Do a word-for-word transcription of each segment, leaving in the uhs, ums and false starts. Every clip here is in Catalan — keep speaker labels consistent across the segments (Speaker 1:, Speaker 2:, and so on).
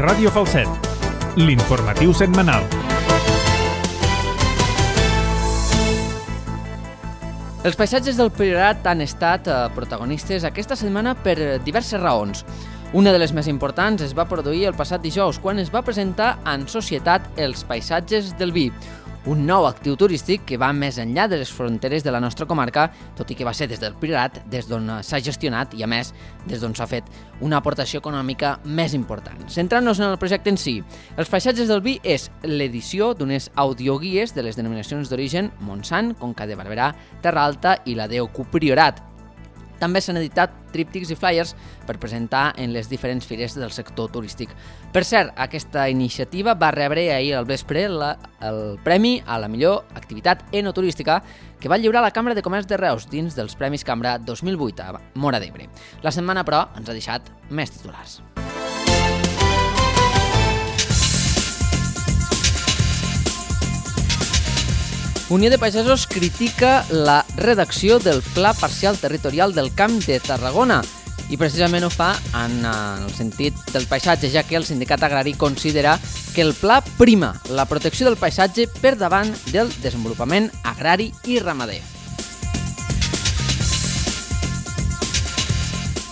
Speaker 1: Ràdio Falset, l'informatiu setmanal.
Speaker 2: Els paisatges del Priorat han estat protagonistes aquesta setmana per diverses raons. Una de les més importants es va produir el passat dijous, quan es va presentar en societat els paisatges del vi, un nou actiu turístic que va més enllà de les fronteres de la nostra comarca, tot i que va ser des del Priorat, des d'on s'ha gestionat i, a més, des d'on s'ha fet una aportació econòmica més important. Centrant-nos en el projecte en si, els paisatges del vi és l'edició d'unes audioguies de les denominacions d'origen Montsant, Conca de Barberà, Terra Alta i la D O Q Priorat. També s'han editat tríptics i flyers per presentar en les diferents fires del sector turístic. Per cert, aquesta iniciativa va rebre ahir al vespre la, el Premi a la millor activitat enoturística que va lliurar la Cambra de Comerç de Reus dins dels Premis Cambra dos mil vuit a Móra d'Ebre. La setmana, però, ens ha deixat més titulars. Unió de Pagesos critica la redacció del Pla Parcial Territorial del Camp de Tarragona i precisament ho fa en el sentit del paisatge, ja que el sindicat agrari considera que el pla prima la protecció del paisatge per davant del desenvolupament agrari i ramader.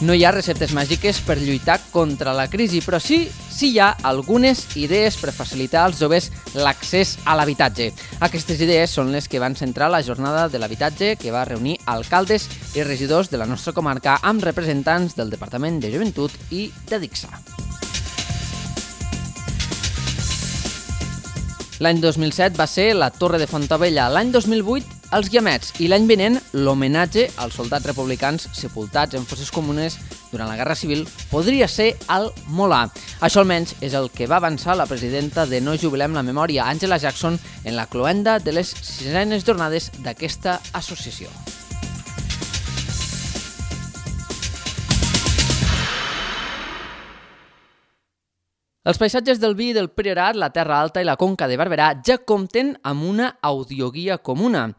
Speaker 2: No hi ha receptes màgiques per lluitar contra la crisi, però sí, sí hi ha algunes idees per facilitar als joves l'accés a l'habitatge. Aquestes idees són les que van centrar la jornada de l'habitatge que va reunir alcaldes i regidors de la nostra comarca amb representants del Departament de Joventut i de Dixa. L'any dos mil set va ser la Torre de Fontabella, l'any dos mil vuit els Guiamets i l'any vinent l'homenatge als soldats republicans sepultats en fosses comunes durant la Guerra Civil podria ser al Molar. Això almenys és el que va avançar la presidenta de No Jubilem la Memòria, Angela Jackson, en la cloenda de les sisenes jornades d'aquesta associació. Els paisatges del vi del Priorat, la Terra Alta i la Conca de Barberà ja compten amb una audioguia comuna.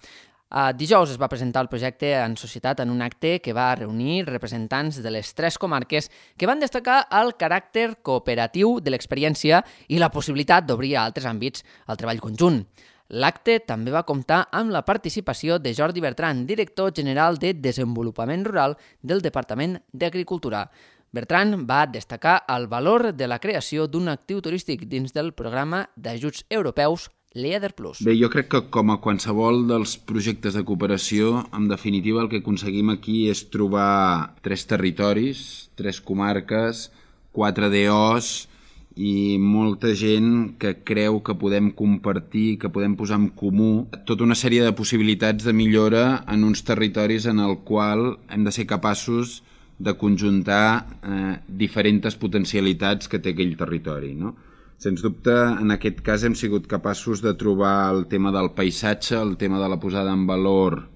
Speaker 2: Dijous es va presentar el projecte en societat en un acte que va reunir representants de les tres comarques que van destacar el caràcter cooperatiu de l'experiència i la possibilitat d'obrir a altres àmbits el treball conjunt. L'acte també va comptar amb la participació de Jordi Bertran, director general de Desenvolupament Rural del Departament d'Agricultura. Bertran va destacar el valor de la creació d'un actiu turístic dins del programa d'ajuts europeus Leader Plus.
Speaker 3: Bé, jo crec que com a qualsevol dels projectes de cooperació, en definitiva el que aconseguim aquí és trobar tres territoris, tres comarques, quatre D Os i molta gent que creu que podem compartir, que podem posar en comú tota una sèrie de possibilitats de millora en uns territoris en el qual hem de ser capaços de conjuntar eh, diferents potencialitats que té aquell territori, no? Sens dubte, en aquest cas hem sigut capaços de trobar el tema del paisatge, el tema de la posada en valor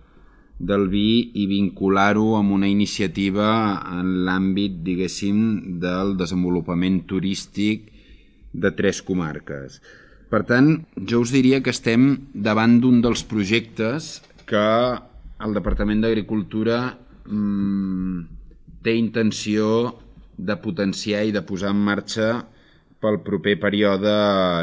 Speaker 3: del vi i vincular-ho amb una iniciativa en l'àmbit, diguéssim, del desenvolupament turístic de tres comarques. Per tant, jo us diria que estem davant d'un dels projectes que el Departament d'Agricultura mmm, té intenció de potenciar i de posar en marxa pel proper període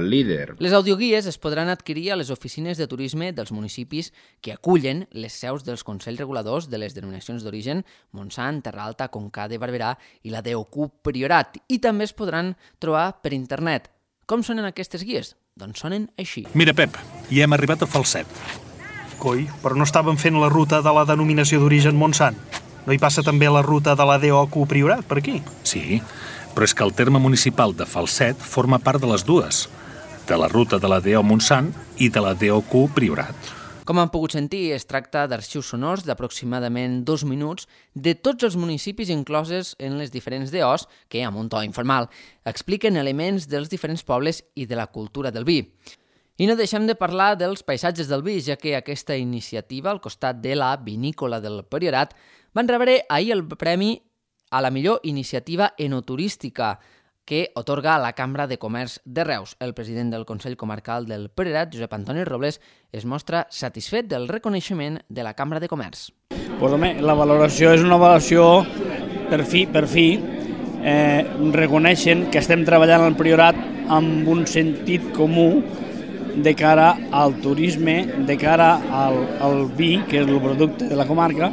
Speaker 3: líder.
Speaker 2: Les audioguies es podran adquirir a les oficines de turisme dels municipis que acullen les seus dels Consells Reguladors de les denominacions d'origen Montsant, Terra Alta, Conca de Barberà i la D O Q Priorat, i també es podran trobar per internet. Com sonen aquestes guies? Doncs sonen així.
Speaker 4: Mira, Pep, ja hem arribat a Falset. Coi, però no estàvem fent la ruta de la denominació d'origen Montsant? No hi passa també la ruta de la D O Q Priorat per aquí?
Speaker 5: Sí, però és que el terme municipal de Falset forma part de les dues, de la ruta de la D O Montsant i de la D O Q Priorat.
Speaker 2: Com han pogut sentir, es tracta d'arxius sonors d'aproximadament dos minuts de tots els municipis incloses en les diferents D Os que, amb un to informal, expliquen elements dels diferents pobles i de la cultura del vi. I no deixem de parlar dels paisatges del vi, ja que aquesta iniciativa, al costat de la vinícola del Priorat, van rebre ahir el premi a la millor iniciativa enoturística que otorga la Cambra de Comerç de Reus. El president del Consell Comarcal del Priorat, Josep Antoni Robles, es mostra satisfet del reconeixement de la Cambra de Comerç.
Speaker 6: Pues, home, la valoració és una valoració per fi, per fi eh, reconeixen que estem treballant al Priorat amb un sentit comú de cara al turisme, de cara al, al vi, que és el producte de la comarca,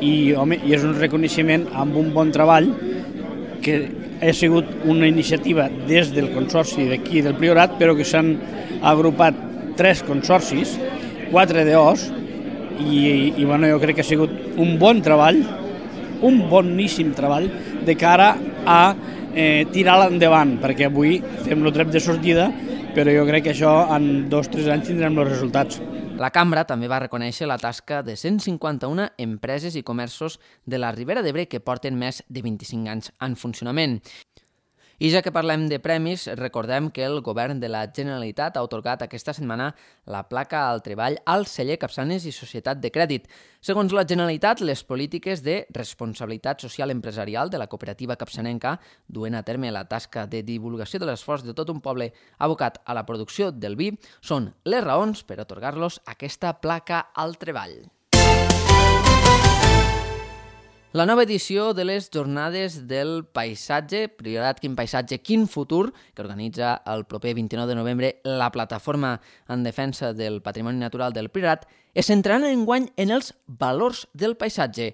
Speaker 6: i, home, i és un reconeixement amb un bon treball que ha sigut una iniciativa des del consorci d'aquí del Priorat, però que s'han agrupat tres consorcis, quatre D Os, i, i bueno, jo crec que ha sigut un bon treball, un boníssim treball de cara a eh, tirar-la endavant, perquè avui fem el tret de sortida, però jo crec que això en dos o tres anys tindrem els resultats.
Speaker 2: La cambra també va reconèixer la tasca de cent cinquanta-una empreses i comerços de la Ribera d'Ebre que porten més de vint-i-cinc anys en funcionament. I ja que parlem de premis, recordem que el govern de la Generalitat ha atorgat aquesta setmana la placa al treball al celler Capçanes i Societat de Crèdit. Segons la Generalitat, les polítiques de responsabilitat social empresarial de la cooperativa capçanenca duen a terme la tasca de divulgació de l'esforç de tot un poble abocat a la producció del vi són les raons per atorgar-los aquesta placa al treball. La nova edició de les Jornades del Paisatge, Priorat Quin Paisatge, Quin Futur, que organitza el proper vint-i-nou de novembre la Plataforma en Defensa del Patrimoni Natural del Priorat, es centrarà enguany en els valors del paisatge.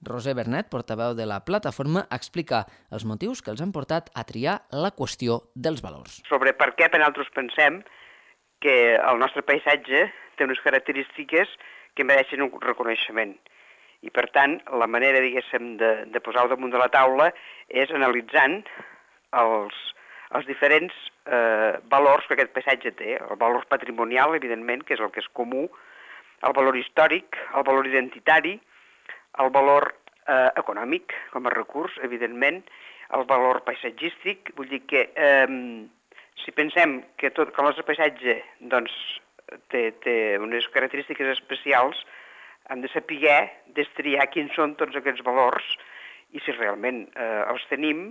Speaker 2: Roser Bernet, portaveu de la plataforma, explica els motius que els han portat a triar la qüestió dels valors.
Speaker 7: Sobre per què per nosaltres pensem que el nostre paisatge té unes característiques que mereixen un reconeixement. I, per tant, la manera, diguéssim, de, de posar-ho damunt de la taula és analitzant els, els diferents eh, valors que aquest paisatge té. El valor patrimonial, evidentment, que és el que és comú, el valor històric, el valor identitari, el valor eh, econòmic, com a recurs, evidentment, el valor paisatgístic. Vull dir que eh, si pensem que, tot, que el nostre paisatge doncs, té, té unes característiques especials, hem de saber destriar quins són tots aquests valors i si realment eh, els tenim,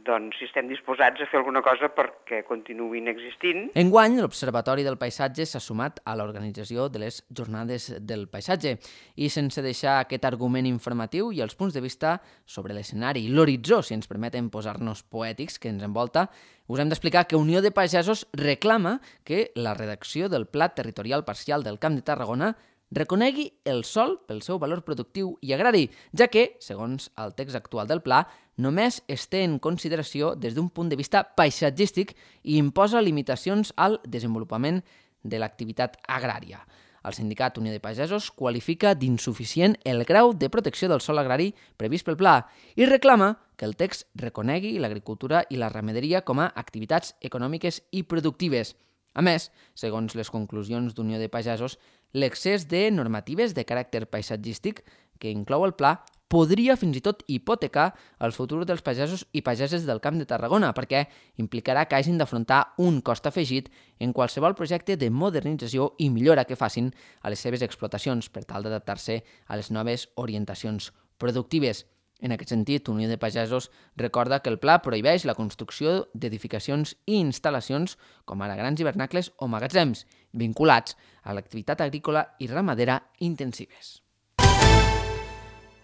Speaker 7: doncs si estem disposats a fer alguna cosa perquè continuïn existint.
Speaker 2: Enguany, l'Observatori del Paisatge s'ha sumat a l'organització de les Jornades del Paisatge i sense deixar aquest argument informatiu i els punts de vista sobre l'escenari i l'horitzó, si ens permeten posar-nos poètics, que ens envolta, us hem d'explicar que Unió de Pagesos reclama que la redacció del Pla Territorial Parcial del Camp de Tarragona reconegui el sòl pel seu valor productiu i agrari, ja que, segons el text actual del pla, només es té en consideració des d'un punt de vista paisatgístic i imposa limitacions al desenvolupament de l'activitat agrària. El sindicat Unió de Pagesos qualifica d'insuficient el grau de protecció del sòl agrari previst pel pla i reclama que el text reconegui l'agricultura i la ramaderia com a activitats econòmiques i productives. A més, segons les conclusions d'Unió de Pagesos, l'excés de normatives de caràcter paisatgístic que inclou el pla podria fins i tot hipotecar el futur dels pagesos i pageses del Camp de Tarragona, perquè implicarà que hagin d'afrontar un cost afegit en qualsevol projecte de modernització i millora que facin a les seves explotacions per tal d'adaptar-se a les noves orientacions productives. En aquest sentit, Unió de Pagesos recorda que el pla prohibeix la construcció d'edificacions i instal·lacions com ara grans hivernacles o magatzems, vinculats a l'activitat agrícola i ramadera intensives.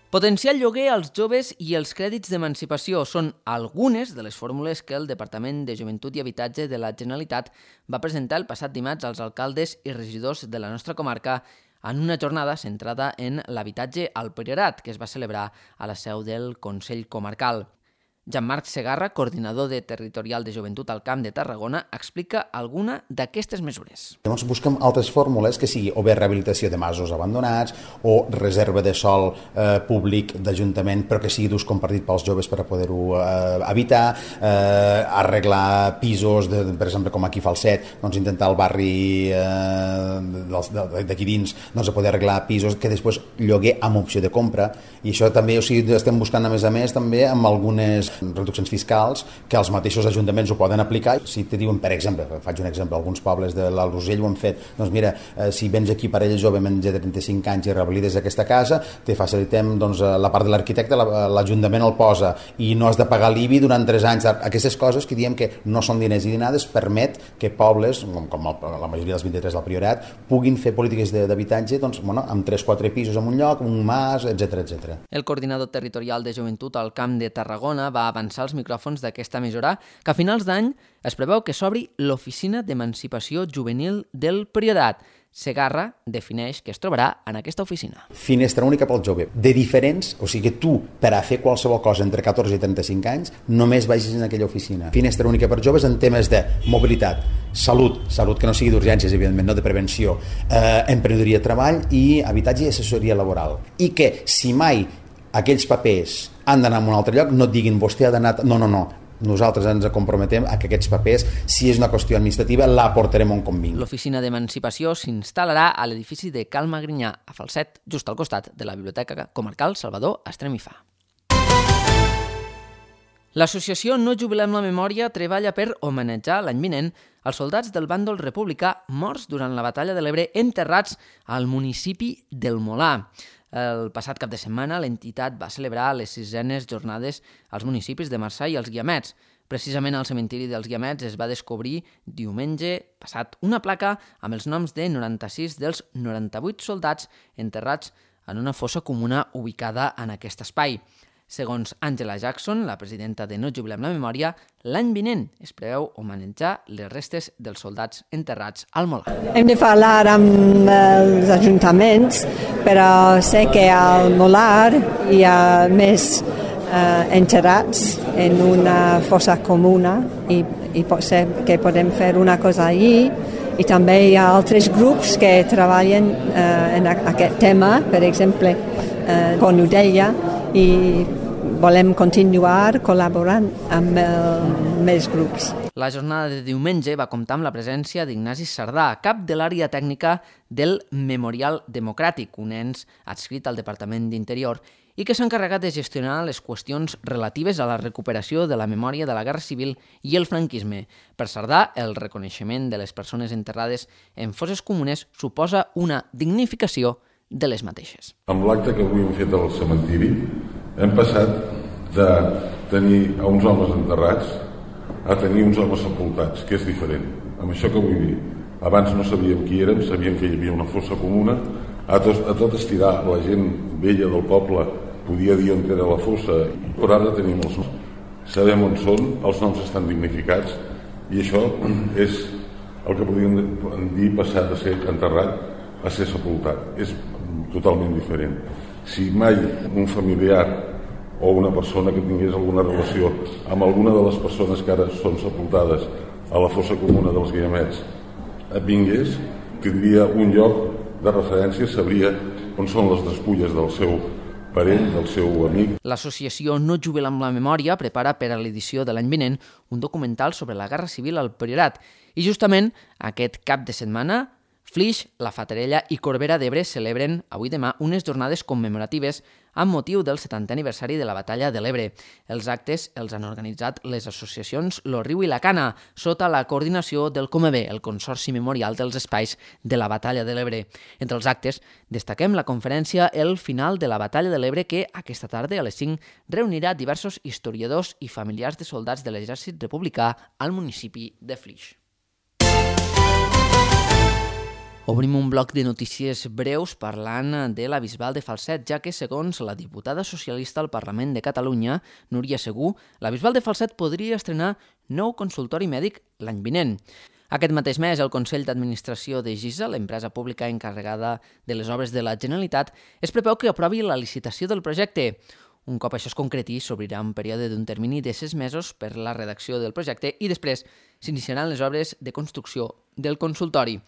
Speaker 2: Potenciar el lloguer als joves i els crèdits d'emancipació són algunes de les fórmules que el Departament de Joventut i Habitatge de la Generalitat va presentar el passat dimarts als alcaldes i regidors de la nostra comarca en una jornada centrada en l'habitatge al Priorat, que es va celebrar a la seu del Consell Comarcal. Jean-Marc Segarra, coordinador de Territorial de Joventut al Camp de Tarragona, explica alguna d'aquestes mesures.
Speaker 8: Llavors busquem altres fórmules que sigui o bé rehabilitació de masos abandonats o reserva de sòl eh, públic d'Ajuntament però que sigui d'ús compartit pels joves per a poder-ho eh, habitar, eh, arreglar pisos, de, per exemple com aquí Falset, doncs intentar el barri eh, d'aquí dins doncs, a poder arreglar pisos que després lloguer amb opció de compra, i això també o sigui, estem buscant a més a més també amb algunes reduccions fiscals que els mateixos ajuntaments ho poden aplicar. Si te diuen, per exemple, faig un exemple, alguns pobles de l'Alt Urgell ho han fet, doncs mira, eh, si vens aquí parella jove menys de trenta-cinc anys i rehabilites aquesta casa, te facilitem doncs, la part de l'arquitecte, l'Ajuntament el posa i no has de pagar l'I B I durant tres anys. Aquestes coses que diem que no són diners i dinades permet que pobles, com la majoria dels vint-i-tres del Priorat, puguin fer polítiques d'habitatge doncs, bueno, amb tres o quatre pisos en un lloc, un mas, etcètera etcètera.
Speaker 2: El coordinador territorial de Joventut al Camp de Tarragona va va avançar als micròfons d'aquesta emissora que a finals d'any es preveu que s'obri l'Oficina d'Emancipació Juvenil del Priorat. Segarra defineix que es trobarà en aquesta oficina.
Speaker 8: Finestra única pel jove, de diferents, o sigui que tu, per a fer qualsevol cosa entre catorze i trenta-cinc anys, només vagis en aquella oficina. Finestra única per joves en temes de mobilitat, salut, salut que no sigui d'urgències, evidentment, no de prevenció, eh, emprenedoria, treball i habitatge i assessoria laboral. I que si mai aquells papers han d'anar a un altre lloc, no et diguin vostè ha d'anar... No, no, no. Nosaltres ens comprometem a que aquests papers, si és una qüestió administrativa, la portarem on convingui.
Speaker 2: L'Oficina d'Emancipació s'instal·larà a l'edifici de Cal Magrinyà, a Falset, just al costat de la Biblioteca Comarcal Salvador Estremifà. L'associació No Jubilem la Memòria treballa per homenatjar l'any vinent els soldats del bàndol republicà morts durant la Batalla de l'Ebre enterrats al municipi del Molar. El passat cap de setmana l'entitat va celebrar les sisenes jornades als municipis de Marçà i els Guiamets. Precisament al cementiri dels Guiamets es va descobrir diumenge passat una placa amb els noms de noranta-sis dels noranta-vuit soldats enterrats en una fossa comuna ubicada en aquest espai. Segons Angela Jackson, la presidenta de No Jubilem la Memòria, l'any vinent es preveu homenatjar les restes dels soldats enterrats al Molar.
Speaker 9: Hem de parlar amb els ajuntaments, però sé que al Molar hi ha més eh, enterrats en una fossa comuna i, i pot ser que podem fer una cosa allí. I també hi ha altres grups que treballen eh, en aquest tema, per exemple, eh, com ho deia, i volem continuar col·laborant amb eh, més grups.
Speaker 2: La jornada de diumenge va comptar amb la presència d'Ignasi Sardà, cap de l'àrea tècnica del Memorial Democràtic, un ens adscrit al Departament d'Interior, i que s'ha encarregat de gestionar les qüestions relatives a la recuperació de la memòria de la Guerra Civil i el franquisme. Per Sardà, el reconeixement de les persones enterrades en fosses comunes suposa una dignificació de les mateixes.
Speaker 10: Amb l'acte que avui hem fet al cementiri, hem passat de tenir a uns homes enterrats a tenir uns homes sepultats, que és diferent. Amb això que vull dir, abans no sabíem qui érem, sabíem que hi havia una fossa comuna, a tot, a tot estirar la gent vella del poble podia dir on era la fossa, però ara tenim els noms. Sabem on són, els noms estan dignificats, i això és el que podríem dir passar de ser enterrat a ser sepultat. És totalment diferent. Si mai un familiar o una persona que tingués alguna relació amb alguna de les persones que ara són sepultades a la fossa comuna dels Guiamets vingués, tindria un lloc de referència, sabria on són les despulles del seu parent, del seu amic.
Speaker 2: L'associació No Jubilem la Memòria prepara per a l'edició de l'any vinent un documental sobre la Guerra Civil al Priorat i justament aquest cap de setmana Flix, La Fatarella i Corbera d'Ebre celebren avui demà unes jornades commemoratives amb motiu del setantè aniversari de la Batalla de l'Ebre. Els actes els han organitzat les associacions Lo Riu i la Cana, sota la coordinació del Comebé, el Consorci Memorial dels Espais de la Batalla de l'Ebre. Entre els actes destaquem la conferència El final de la Batalla de l'Ebre que aquesta tarda a les cinc reunirà diversos historiadors i familiars de soldats de l'exèrcit republicà al municipi de Flix. Obrim un bloc de notícies breus parlant de la Bisbal de Falset, ja que, segons la diputada socialista al Parlament de Catalunya, Núria Segú, la Bisbal de Falset podria estrenar nou consultori mèdic l'any vinent. Aquest mateix mes, el Consell d'Administració de GISA, l'empresa pública encarregada de les obres de la Generalitat, es preveu que aprovi la licitació del projecte. Un cop això es concreti, s'obrirà un període d'un termini de sis mesos per la redacció del projecte i després s'iniciaran les obres de construcció del consultori.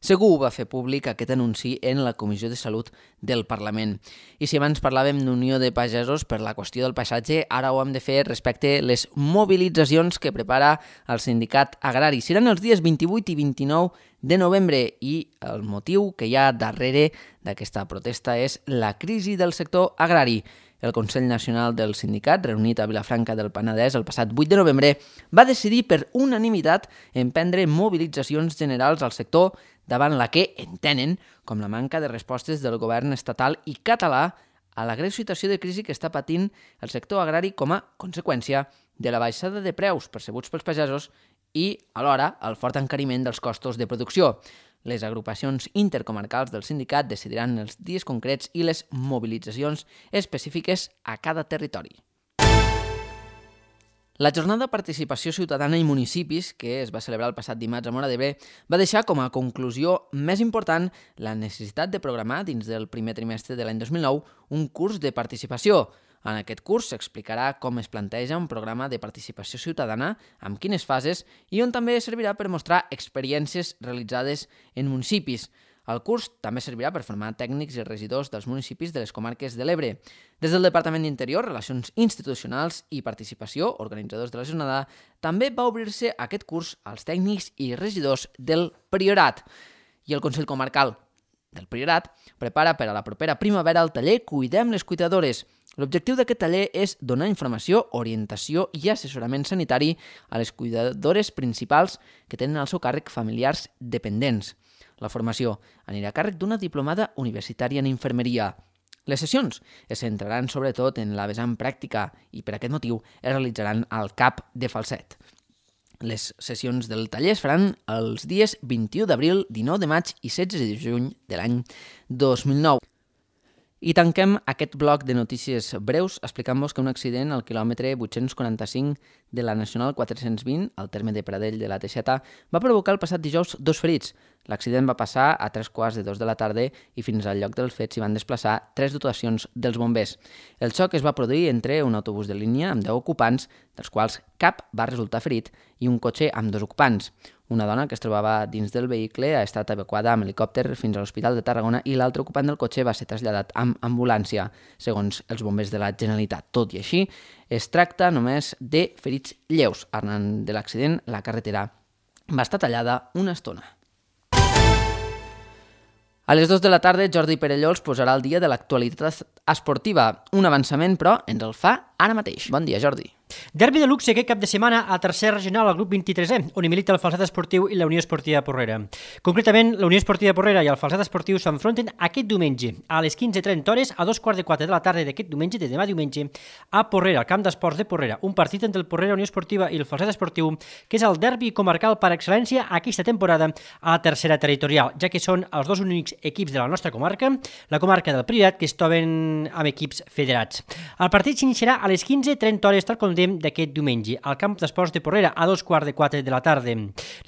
Speaker 2: Segur va fer públic aquest anunci en la Comissió de Salut del Parlament. I si abans parlàvem d'Unió de Pagesos per la qüestió del paisatge, ara ho hem de fer respecte a les mobilitzacions que prepara el sindicat agrari. Seran els dies vint-i-vuit i vint-i-nou de novembre i el motiu que hi ha darrere d'aquesta protesta és la crisi del sector agrari. El Consell Nacional del Sindicat, reunit a Vilafranca del Penedès el passat vuit de novembre, va decidir per unanimitat emprendre mobilitzacions generals al sector davant la que entenen com la manca de respostes del govern estatal i català a la greu situació de crisi que està patint el sector agrari com a conseqüència de la baixada de preus percebuts pels pagesos i, alhora, el fort encariment dels costos de producció. Les agrupacions intercomarcals del sindicat decidiran els dies concrets i les mobilitzacions específiques a cada territori. La jornada de participació ciutadana i municipis, que es va celebrar el passat dimarts a Móra d'Ebre, va deixar com a conclusió més important la necessitat de programar dins del primer trimestre de l'any dos mil nou un curs de participació. En aquest curs s'explicarà com es planteja un programa de participació ciutadana, amb quines fases i on també servirà per mostrar experiències realitzades en municipis. El curs també servirà per formar tècnics i regidors dels municipis de les comarques de l'Ebre. Des del Departament d'Interior, Relacions Institucionals i Participació, organitzadors de la jornada, també va obrir-se aquest curs als tècnics i regidors del Priorat. I el Consell Comarcal del Priorat prepara per a la propera primavera el taller Cuidem les Cuidadores. L'objectiu d'aquest taller és donar informació, orientació i assessorament sanitari a les cuidadores principals que tenen al seu càrrec familiars dependents. La formació anirà a càrrec d'una diplomada universitària en infermeria. Les sessions es centraran sobretot en la vessant pràctica i per aquest motiu es realitzaran al C A P de Falset. Les sessions del taller es faran els dies vint-i-u d'abril, dinou de maig i setze de juny de l'any dos mil nou. I tanquem aquest bloc de notícies breus explicant-vos que un accident al quilòmetre vuit-cents quaranta-cinc de la Nacional quatre-cents vint, al terme de Pradell de la Teixeta, va provocar el passat dijous dos ferits. L'accident va passar a tres quarts de dos de la tarda i fins al lloc dels fets s'hi van desplaçar tres dotacions dels bombers. El xoc es va produir entre un autobús de línia amb deu ocupants, dels quals cap va resultar ferit, i un cotxe amb dos ocupants. Una dona que es trobava dins del vehicle ha estat evacuada amb helicòpter fins a l'Hospital de Tarragona i l'altre ocupant del cotxe va ser traslladat amb ambulància, segons els bombers de la Generalitat. Tot i així, es tracta només de ferits lleus. Arran de l'accident, la carretera va estar tallada una estona. A les dues de la tarda, Jordi Perelló els posarà al dia de l'actualitat esportiva. Un avançament, però, ens el fa ara mateix. Bon dia, Jordi.
Speaker 11: Derbi de luxe aquest cap de setmana a tercer regional al grup vint-i-tresè, on hi milita el Falset Esportiu i la Unió Esportiva Porrera. Concretament, la Unió Esportiva Porrera i el Falset Esportiu s'enfronten aquest diumenge a les quinze trenta hores a dos quarts de quatre de la tarda d'aquest diumenge, de demà diumenge, a Porrera, al camp d'esports de Porrera. Un partit entre el Porrera Unió Esportiva i el Falset Esportiu, que és el derbi comarcal per excel·lència aquesta temporada a la tercera territorial, ja que són els dos únics equips de la nostra comarca, la comarca del Priorat, que es troben amb equips federats. El partit s'iniciarà a les quinze trenta hores, tal com dèiem, d'aquest diumenge, al camp d'esports de Porrera, a dos quarts de quatre de la tarda.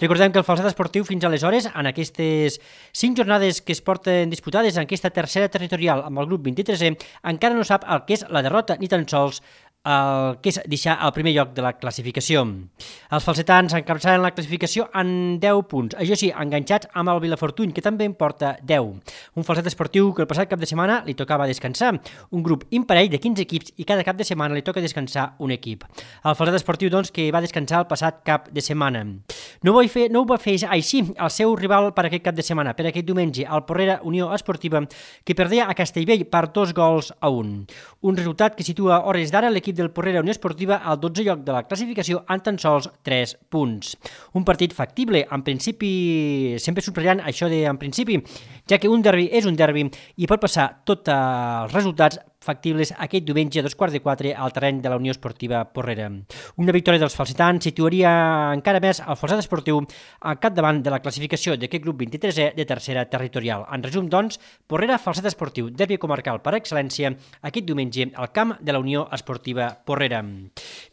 Speaker 11: Recordem que el Falset Esportiu fins aleshores, en aquestes cinc jornades que es porten disputades en aquesta tercera territorial amb el grup vint-i-tresè, encara no sap el que és la derrota, ni tan sols el que és deixar el primer lloc de la classificació. Els falsetans encapçalen la classificació en deu punts, això sí, enganxats amb el Vilafortuny, que també en porta deu. Un Falset Esportiu que el passat cap de setmana li tocava descansar, un grup imparell de quinze equips i cada cap de setmana li toca descansar un equip. El Falset Esportiu, doncs, que va descansar el passat cap de setmana. No ho, fer, no ho va fer així el seu rival per aquest cap de setmana, per aquest diumenge, el Porrera Unió Esportiva, que perdia a Castellvell per dos gols a un. Un resultat que situa a hores d'ara l'equip del Porrera Unió Esportiva al dotzè lloc de la classificació amb tan sols tres punts. Un partit factible, en principi, sempre subratllant això de en principi, ja que un derbi és un derbi i pot passar tots els resultats factibles aquest diumenge a dos quarts de quatre al terreny de la Unió Esportiva Porrera. Una victòria dels falsetans situaria encara més el Falset Esportiu al capdavant de la classificació d'aquest grup vint-i-tresè de tercera territorial. En resum, doncs, Porrera Falset Esportiu, derbi comarcal per excel·lència, aquest diumenge al camp de la Unió Esportiva Porrera.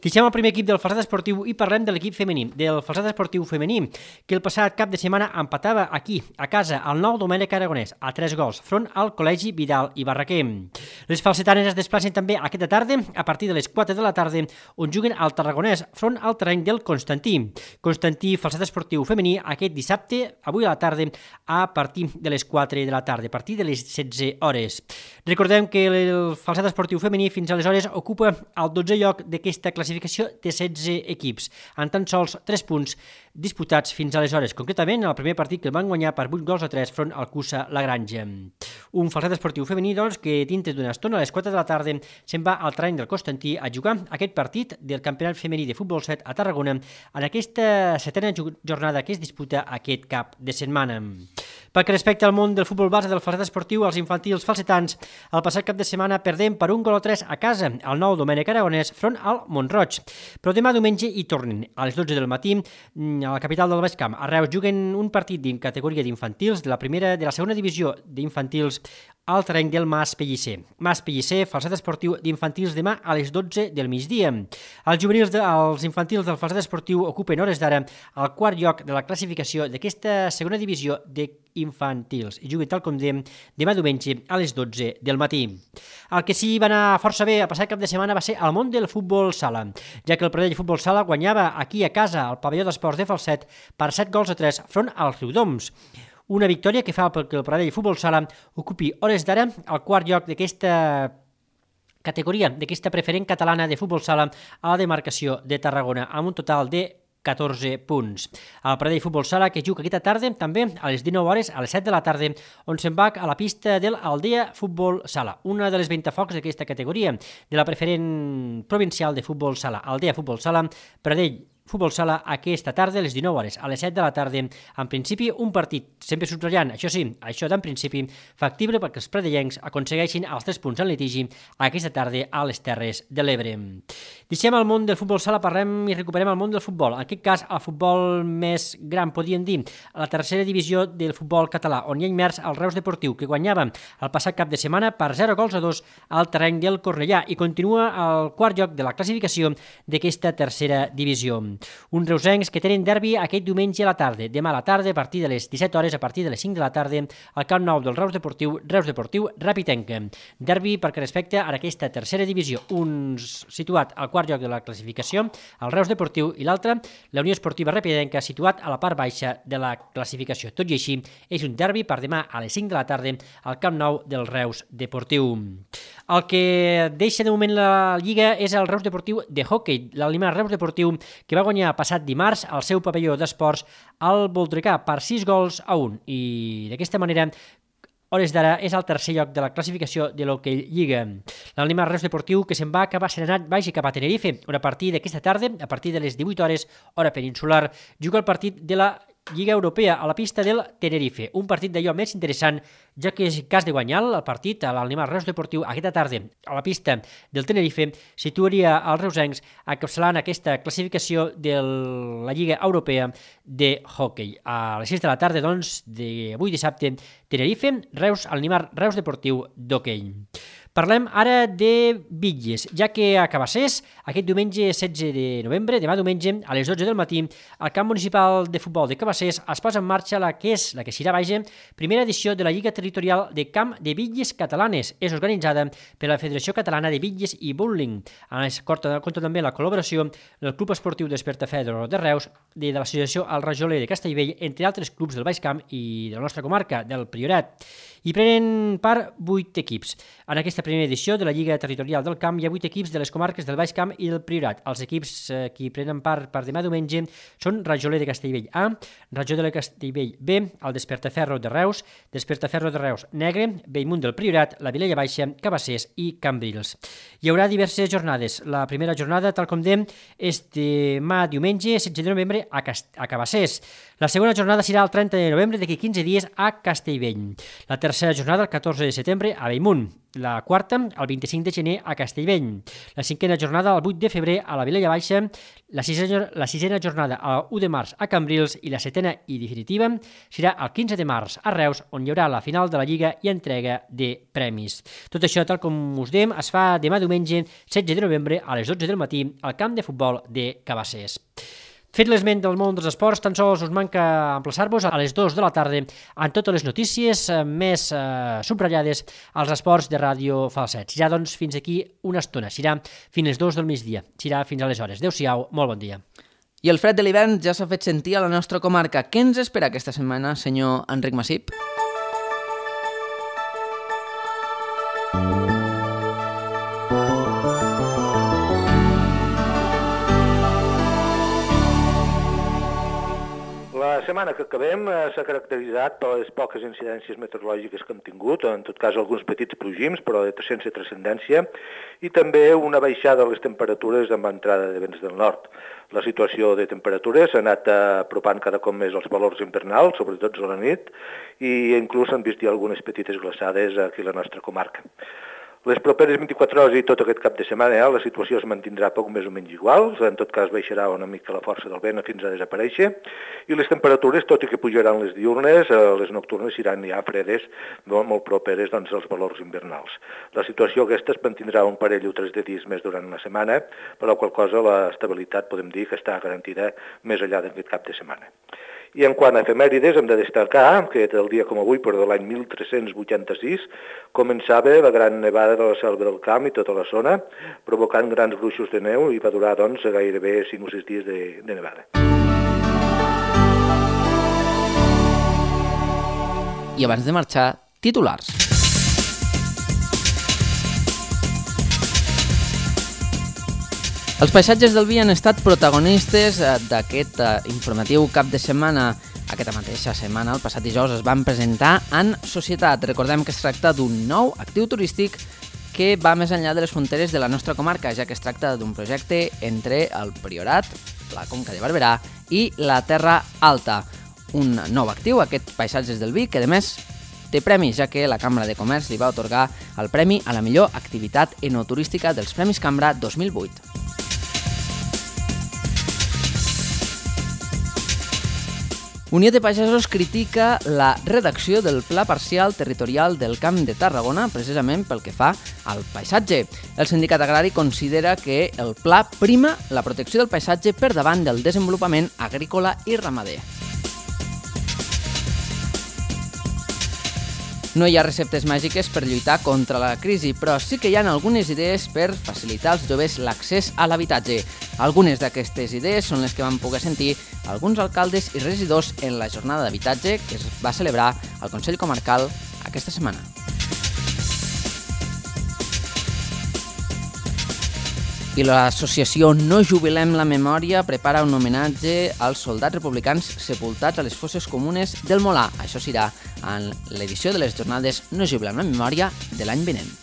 Speaker 11: Deixem el primer equip del Falset Esportiu i parlem de l'equip femení, del Falset Esportiu femení, que el passat cap de setmana empatava aquí, a casa, al nou Domènec Aragonès, a tres gols, front al Col·legi Vidal i Barraquer. Les falsetanes es desplacen també aquesta tarda, a partir de les quatre de la tarda, on juguen al Tarragonès, front al terreny del Constantí. Constantí, Falset Esportiu femení, aquest dissabte, avui a la tarda, a partir de les quatre de la tarda, a partir de les setze hores. Recordem que el Falset Esportiu femení fins aleshores ocupa el dotzè lloc d'aquesta classificació de setze equips, amb tan sols tres punts disputats fins aleshores, concretament el primer partit que el van guanyar per vuit gols a tres front al Cussa La Granja. Un Falset Esportiu femení, doncs, que dintre d'una estona, a les quatre de la tarda, se'n va al terreny del Constantí a jugar aquest partit del Campionat Femení de Futbol set a Tarragona en aquesta setena jornada que es disputa aquest cap de setmana. Pel que respecta al món del futbol base del Falset Esportiu, els infantils falsetans, el passat cap de setmana perdem per un gol a tres a casa, al nou Domènec Aragonès, front al Montroig. Però demà diumenge hi tornen, a les dotze del matí, a la capital del Baix Camp. A Reus juguen un partit en categoria d'infantils de la primera de la segona divisió d'infantils al terreny del Mas Pellicer. Mas Pellicer, falset esportiu d'infantils demà a les dotze del migdia. Els juvenils de, els infantils del falset esportiu ocupen hores d'ara el quart lloc de la classificació d'aquesta segona divisió d'infantils i juguen tal com dèiem demà diumenge a les dotze del matí. El que sí va anar força bé a passar cap de setmana va ser el món del futbol sala, ja que el Pradell Futbol Sala guanyava aquí a casa al pavelló d'esports de Falset per set gols a tres front als Riudoms. Una victòria que fa perquè el Pradell Futbol Sala ocupi hores d'ara el quart lloc d'aquesta categoria, d'aquesta preferent catalana de futbol sala a la demarcació de Tarragona, amb un total de catorze punts. El Pradell Futbol Sala que juga aquesta tarda també a les dinou hores, a les set de la tarda, on se'n va a la pista del Aldea Futbol Sala, una de les ventafocs d'aquesta categoria, de la preferent provincial de futbol sala. Aldea Futbol Sala, Pradell Futbol Sala aquesta tarda a les dinou hores, a les set de la tarda, en principi un partit, sempre subratllant, això sí, això d'en principi, factible perquè els pradellencs aconsegueixin els tres punts en litigi aquesta tarda a les Terres de l'Ebre. Deixem el món del futbol sala, parlem i recuperem el món del futbol, en aquest cas el futbol més gran, podríem dir, a la tercera divisió del futbol català, on hi ha immers el Reus Deportiu, que guanyava el passat cap de setmana per zero gols a dos al terreny del Cornellà i continua al quart lloc de la classificació d'aquesta tercera divisió. Uns reusencs que tenen derbi aquest diumenge a la tarda, demà a la tarda a partir de les disset hores, a partir de les cinc de la tarda, al Camp Nou del Reus Deportiu, Reus Deportiu Rapitenca. Derbi perquè respecte a aquesta tercera divisió, un situat al quart lloc de la classificació, el Reus Deportiu, i l'altre, la Unió Esportiva Rapitenca, situat a la part baixa de la classificació. Tot i així, és un derbi per demà a les cinc de la tarda al Camp Nou del Reus Deportiu. El que deixa de moment la Lliga és el Reus Deportiu de hoquei, l'Alimar Reus Deportiu, que va guanyar passat dimarts al seu pavelló d'esports al Voltregà per sis gols a un i d'aquesta manera hores d'ara és el tercer lloc de la classificació de l'Hockey Lliga. L'Alimar Reus Deportiu que se'n va acabar serenat vagi cap a Tenerife, on a partir d'aquesta tarda, a partir de les divuit hores, hora peninsular, juga el partit de la Lliga Europea a la pista del Tenerife, un partit d'allò més interessant, ja que és cas de guanyar el partit a l'Alimar Reus Deportiu aquesta tarda a la pista del Tenerife, situaria els reusencs encapçalant aquesta classificació de la Lliga Europea de hoquei. A les sis de la tarda, doncs, d'avui dissabte, Tenerife, Reus, Alimar Reus Deportiu d'hoquei. Parlem ara de bitlles, ja que a Cabassers, aquest diumenge setze de novembre, demà diumenge, a les dotze del matí, al camp municipal de futbol de Cabassers es posa en marxa la que és, la que serà, vaja, primera edició de la Lliga Territorial de Camp de Bitlles Catalanes. És organitzada per la Federació Catalana de Bitlles i Bowling. Compta també la col·laboració del Club Esportiu Despertafedro de Reus, de l'Associació El Rajoler de Castellvell, entre altres clubs del Baix Camp i de la nostra comarca, del Priorat. Hi prenen part vuit equips. En aquesta primera edició de la Lliga Territorial del Camp hi ha vuit equips de les comarques del Baix Camp i del Priorat. Els equips eh, que hi prenen part per demà diumenge són Rajoler de Castellvell A, Rajoler de Castellvell B, el Despertaferro de Reus, Despertaferro de Reus Negre, Bellmunt del Priorat, la Vilella Baixa, Cabassers i Cambrils. Hi haurà diverses jornades. La primera jornada, tal com dèiem, és demà diumenge, setze de novembre, a, Cast a Cabassers. La segona jornada serà el trenta de novembre, d'aquí quinze dies, a Castellvell. La tercera jornada, el catorze de setembre, a Bellmunt. La quarta, el vint-i-cinc de gener, a Castellvell. La cinquena jornada, el vuit de febrer, a la Vilella Baixa. La sisena, la sisena jornada, el u de març, a Cambrils. I la setena i definitiva serà el quinze de març, a Reus, on hi haurà la final de la Lliga i entrega de premis. Tot això, tal com us dèiem, es fa demà diumenge, setze de novembre, a les dotze del matí, al camp de futbol de Cabassers. Fet l'esment del món dels esports, tan sols us manca emplaçar-vos a les dues de la tarda amb totes les notícies més eh, subratllades als esports de Ràdio Falset. Serà, doncs, fins aquí una estona. Serà fins les dues del migdia. Serà fins aleshores. Adéu-siau, molt bon dia.
Speaker 2: I el fred de l'hivern ja s'ha fet sentir a la nostra comarca. Què ens espera aquesta setmana, senyor Enric Massip?
Speaker 12: La setmana que acabem s'ha caracteritzat per les poques incidències meteorològiques que hem tingut, en tot cas alguns petits plogims, però sense transcendència, i també una baixada de les temperatures amb entrada de vents del nord. La situació de temperatures s'ha anat apropant cada cop més als valors invernals, sobretot a la nit, i inclús han vist algunes petites glaçades aquí a la nostra comarca. Les properes vint-i-quatre hores i tot aquest cap de setmana eh, la situació es mantindrà poc més o menys igual, en tot cas baixarà una mica la força del vent fins a desaparèixer, i les temperatures, tot i que pujaran les diurnes, eh, les nocturnes seran ja fredes, molt, molt properes doncs, als valors invernals. La situació aquesta es mantindrà un parell o tres de dies més durant una setmana, per la qual cosa l'estabilitat podem dir que està garantida més enllà d'aquest cap de setmana. I en quant a efemèrides, hem de destacar que el dia com avui, però de l'any mil tres-cents vuitanta-sis, començava la gran nevada de la Selva del Camp i tota la zona, provocant grans gruixos de neu i va durar doncs, gairebé cinc o sis dies de, de nevada.
Speaker 2: I abans de marxar, titulars. Els paisatges del vi han estat protagonistes d'aquest informatiu cap de setmana. Aquesta mateixa setmana, el passat dijous, es van presentar en Societat. Recordem que es tracta d'un nou actiu turístic que va més enllà de les fronteres de la nostra comarca, ja que es tracta d'un projecte entre el Priorat, la Conca de Barberà i la Terra Alta. Un nou actiu, aquest Paisatges del Vi, que a més té premis, ja que la Cambra de Comerç li va atorgar el premi a la millor activitat enoturística dels Premis Cambra dos mil vuit. Unió de Pagesos critica la redacció del Pla Parcial Territorial del Camp de Tarragona, precisament pel que fa al paisatge. El sindicat agrari considera que el pla prima la protecció del paisatge per davant del desenvolupament agrícola i ramader. No hi ha receptes màgiques per lluitar contra la crisi, però sí que hi ha algunes idees per facilitar als joves l'accés a l'habitatge. Algunes d'aquestes idees són les que van poder sentir alguns alcaldes i regidors en la jornada d'habitatge que es va celebrar al Consell Comarcal aquesta setmana. I l'associació No Jubilem la Memòria prepara un homenatge als soldats republicans sepultats a les fosses comunes del Molar. Això serà en l'edició de les jornades No Jubilem la Memòria de l'any vinent.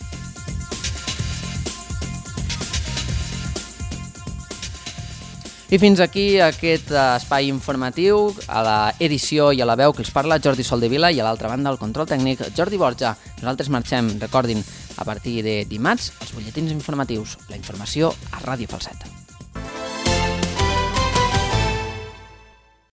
Speaker 2: I fins aquí aquest espai informatiu, a l'edició i a la veu que els parla Jordi Soldevila i a l'altra banda el control tècnic Jordi Borja. Nosaltres marxem, recordin, a partir de dimarts, els butlletins informatius, la informació a Ràdio Falset.